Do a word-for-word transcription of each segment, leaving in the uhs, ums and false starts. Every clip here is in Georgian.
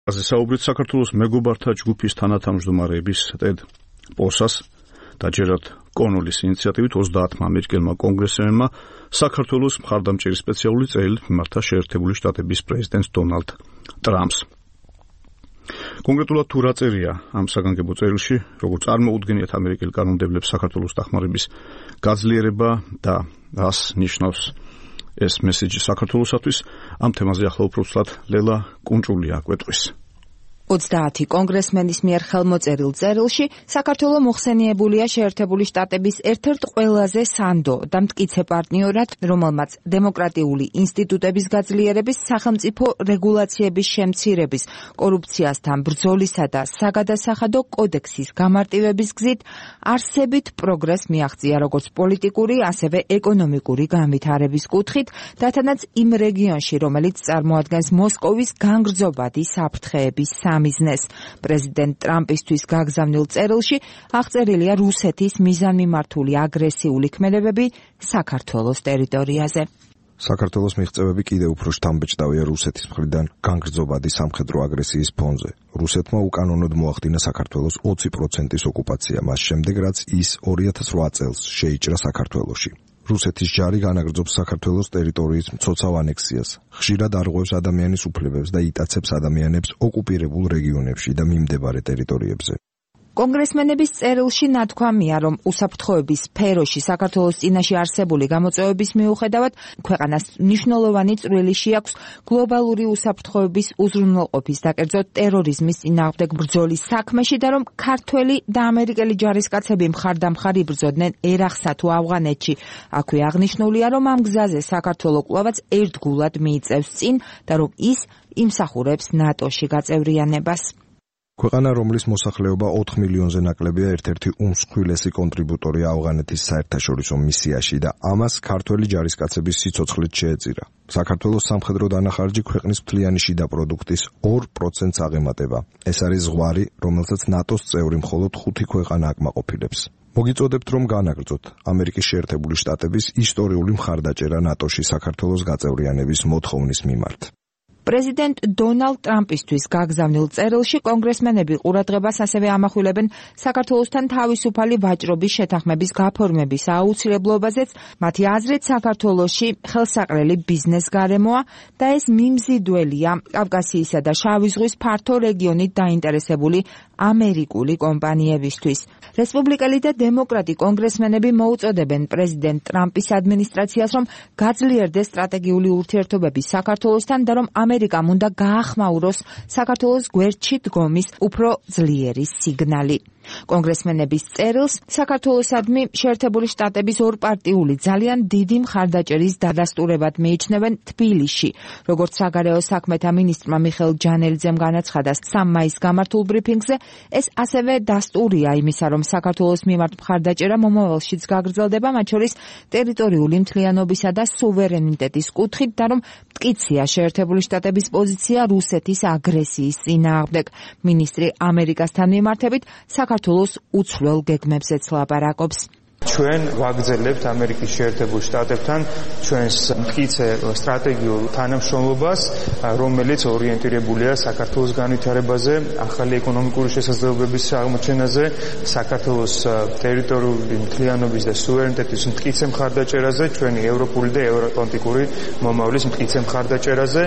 საუბრით საქართველოს მეგობართა ჯგუფის თანათავმჯდომარეების ტედ პოსას დაჯერათ კონულის ინიციატივით ოცდაათმა ამერიკელმა კონგრესმენმა საქართველოს მხარდამჭერი სპეციალური წერილით მიმართა შეერთებული შტატების პრეზიდენტს დონალდ ტრამპს. კონკრეტულად თუ რა წერია ამ საგანგებო წერილში, როგორც წარმოუდგენიათ ამერიკელ კანონმდებლებს საქართველოს დახმარების გაძლიერება და რას ნიშნავს ეს მესიჯი საქართველოსათვის, ამ თემაზე ახლა უფრო ცუდად ლელა კუნჭულია აკვეტყვის. ოცდაათი კონგრესმენის მიერ ხელმოწერილ წერილში საქართველო მოხსენიებულია შეერთებული შტატების ერთ-ერთ ყველაზე სანდო და მტკიცე პარტნიორად, რომელმაც დემოკრატიული ინსტიტუტების გაძლიერების, სახელმწიფო რეგულაციების შემცირების, კორუფციასთან ბრძოლისა და საგადასახადო კოდექსის გამარტივების გზით არსებით პროგრესს მიაღწია როგორც პოლიტიკური, ასევე ეკონომიკური განვითარების კუთხით, რათანაც იმ რეგიონში, რომელიც წარმოადგენს მოსკოვის განგრძობადი საფრთხეების მიზნეს. პრეზიდენტ ტრამპისთვის გაგზავნილ წერილში აღწერილია რუსეთის მიზანმიმართული აგრესიული ქმედებები საქართველოს ტერიტორიაზე. საქართველოს მიღწევები კიდევ უფრო შთამბეჭდავია რუსეთის მხრიდან განგრძობადი სამხედრო აგრესიის ფონზე. რუსეთმა უკანონოდ მოახდინა საქართველოს ოცი პროცენტის ოკუპაცია, მას შემდეგ რაც ის ორი ათას ოთხ წელს შეიჭრა საქართველოში. რუსეთის ჯარი განაგრძობს საქართველოს ტერიტორიის მცოცავ ანექსიას, ხშირად არღვევს ადამიანის უფლებებს და იტაცებს ადამიანებს ოკუპირებულ რეგიონებში და მიმდებარე ტერიტორიებზე. კონგრესმენების წერილში ნათქვამია, რომ უსაფრთხოების სფეროში საქართველოს წინაშე არსებული გამოწვევების მიუხედავად ქვეყანას მნიშვნელოვანი წვლილი შეაქვს გლობალური უსაფრთხოების უზრუნველყოფის და კერძოდ ტერორიზმის წინააღმდეგ ბრძოლის საქმეში და რომ ქართველი და ამერიკელი ჯარისკაცები მხარდამხარ იბრძოდნენ ერახსა თუ ავღანეთში. აქვე აღნიშნულია, რომ ამ გზაზე საქართველო კვლავაც ერთგულად მიიწევს წინ და რომ ის იმსახურებს ნატოში გაწევრიანებას. ქვეყანა, რომლის მოსახლეობა ოთხ მილიონზე ნაკლებია, ერთ-ერთი უმსხვილესი კონტრიბუტორია ავღანეთის საერთაშორისო მისიაში და ამას ქართველი ჯარისკაცების სიცოცხლით შეეწირა. საქართველოს სამხედრო დანახარჯი ქვეყნის მთლიანი შიდა პროდუქტის ორ პროცენტს აღემატება. ეს არის ზღვარი, რომელსაც ნატოს წევრი მხოლოდ ხუთი ქვეყანა აკმაყოფილებს. მოგიწოდებთ, რომ განაგრძოთ ამერიკის შეერთებული შტატების ისტორიული მხარდაჭერა ნატოში საქართველოს გაწევრიანების მოთხოვნის მიმართ. პრეზიდენტ დონალდ ტრამპისთვის გაგზავნილ წერილში კონგრესმენები ყურადღებას ასევე ამახვილებენ საქართველოსთან თავისუფალი ვაჭრობის შეთანხმების გაფორმების აუცილებლობაზეც, მათი აზრით საქართველოში ხელსაყრელი ბიზნეს გარემოა და ეს მიმზიდველია კავკასიისა და შავი ზღვის ფართო რეგიონით დაინტერესებული ამერიკული კომპანიებისთვის. რესპუბლიკელი და დემოკრატი კონგრესმენები მოუწოდებენ პრეზიდენტ ტრამპის ადმინისტრაციას, რომ გაძლიერდეს სტრატეგიული ურთიერთობები საქართველოსთან და რომ ამერიკამ უნდა გაახმაუროს საქართველოს გვერდში დგომის უფრო ძლიერი სიგნალი. კონგრესმენების წერილს საქართველოსადმი შეერთებული შტატების ორპარტიული ძალიან დიდი მხარდაჭერის დადასტურებად მიიჩნევენ თბილისში. როგორც საგარეო საქმეთა მინისტრმა მიხეილ ჯანელიძემ განაცხადა სამი მაისს გამართულ ბრიფინგზე, ეს ასევე დასტურია იმისა, რომ საქართველოს მიმართ მხარდაჭერა მომავალშიც გაგრძელდება, მათ შორის ტერიტორიული მთლიანობისა და სუვერენიტეტის კუთხით და რომ მტკიცია შეერთებული შტატების პოზიცია რუსეთის აგრესიის წინააღმდეგ. მინისტრი ამერიკასთან მიმართებით საქართველოს უცვლელ გეგმებზეც ლაპარაკობს. ჩვენ ვაგრძელებთ ამერიკის შეერთებულ შტატებთან ჩვენს მტკიცე სტრატეგიულ თანამშრომლობას, რომელიც ორიენტირებულია საქართველოს განვითარებაზე, ახალი ეკონომიკური შესაძლებლობების აღმოჩენაზე, საქართველოს ტერიტორიული მთლიანობის და სუვერენიტეტის მტკიცე მხარდაჭერაზე, ჩვენი ევროპული და ევროატლანტიკური მომავლის მტკიცე მხარდაჭერაზე.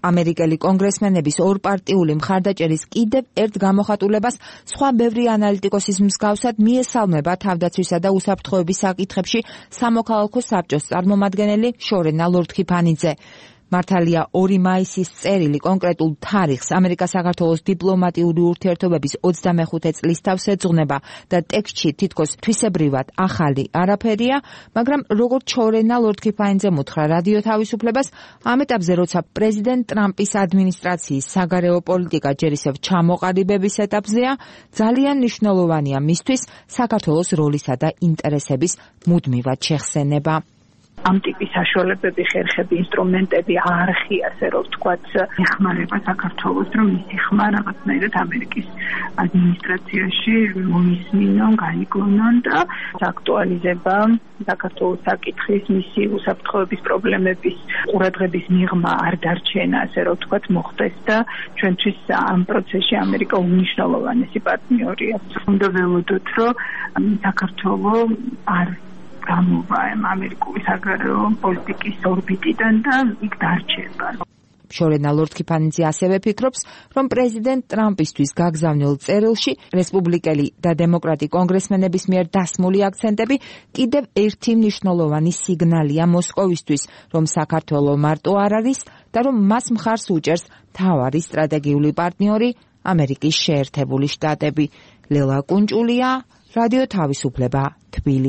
ამერიკელი კონგრესმენების ორპარტიული მხარდაჭერის კიდევ ერთ გამოხატულებას სხვა ბევრი ანალიტიკოსის მსგავსად მიესალმება თავდაცვისა და უსაფრთხოების საკითხებში სამოქალაქო საბჭოს წარმომადგენელი შორენა ლორდქიფანიძე. მართალია ორი მაისის წერილი კონკრეტულ თარიღს ამერიკა-საქართველოს დიპლომატიური ურთიერთობების ოცდამეხუთე წლის თავს ეძღვნება და ტექსტში თითქოს თვისებრივად ახალი არაფერია, მაგრამ როგორც შორენა ლორდქიფანიძემ უთხრა რადიო თავისუფლებას, ამ ეტაპზე როცა პრეზიდენტ ტრამპის ადმინისტრაციის საგარეო პოლიტიკა ჯერ ისევ ჩამოყალიბების ეტაპზეა, ძალიან მნიშვნელოვანია მისთვის საქართველოს როლისა და ინტერესების მუდმივად შეხსენება. ამ ტიპის საშუალებები, ხერხები, ინსტრუმენტები არხი, ასე რომ ვთქვათ, ეხმარება საქართველოს, რომ მისი ხმა რაღაცნაირად ამერიკის ადმინისტრაციაში მოისმინონ, გაიგონონ და აქტუალიზება საქართველოს საკითხის, მისი უსაფრთხოების პრობლემების ყურადღების მიღმა არ დარჩენა, ასე რომ ვთქვათ, მოხდეს და ჩვენთვის ამ პროცესში ამერიკა უმნიშვნელოვანესი პარტნიორია. უნდა ველოდოთ, რომ საქართველოს არ გამოვა ამერიკული საგარეო პოლიტიკის ორბიტიდან და იქ დარჩება. შორენა ლორდ-კიფანიძე ასევე ფიქრობს, რომ პრეზიდენტ ტრამპისთვის გაგზავნილ წერილში რესპუბლიკელი და დემოკრატი კონგრესმენების მიერ დასმული აქცენტები კიდევ ერთი მნიშვნელოვანი სიგნალია მოსკოვისთვის, რომ საქართველო მარტო არ არის და რომ მას მხარს უჭერს მთავარი სტრატეგიული პარტნიორი ამერიკის შეერთებული შტატები. ლელა კუნჭულია, რადიო თავისუფლება, თბილისი.